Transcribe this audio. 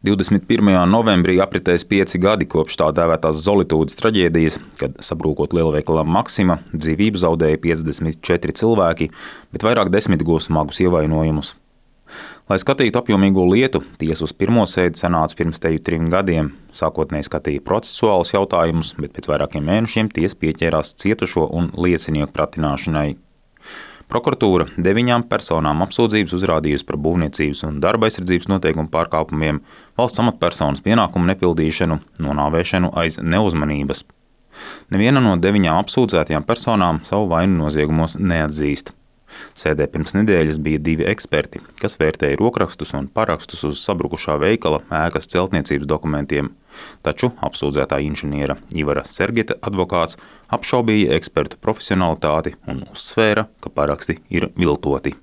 21. novembrī apritēs 5 gadi kopš tā dēvētās Zolitūdes traģēdijas, kad sabrūkot lielveikalam Maxima, dzīvību zaudēja 54 cilvēki, bet vairāk desmit guva smagus ievainojumus. Lai skatītu apjomīgo lietu, tiesa uz pirmo sēdi sanāca pirms teju 3 gadiem. Sākotnēji skatīja procesuālus jautājumus, bet pēc vairākiem mēnešiem tiesa pieķērās cietušo un liecinieku pratināšanai. Prokuratūra 9 personām apsūdzības uzrādījusi par būvniecības un darba aizsardzības noteikumu pārkāpumiem, valsts amatpersonas pienākumu nepildīšanu, nonāvēšanu aiz neuzmanības. Neviena no 9 apsūdzētajām personām savu vainu noziegumos neatzīst. Sēdē pirms nedēļas bija 2 eksperti, kas vērtēja rokrakstus un parakstus uz sabrukušā veikala ēkas celtniecības dokumentiem, taču apsūdzētā inženiera Ivara Sergeta advokāts apšaubīja ekspertu profesionalitāti un uzsvēra, ka paraksti ir viltoti.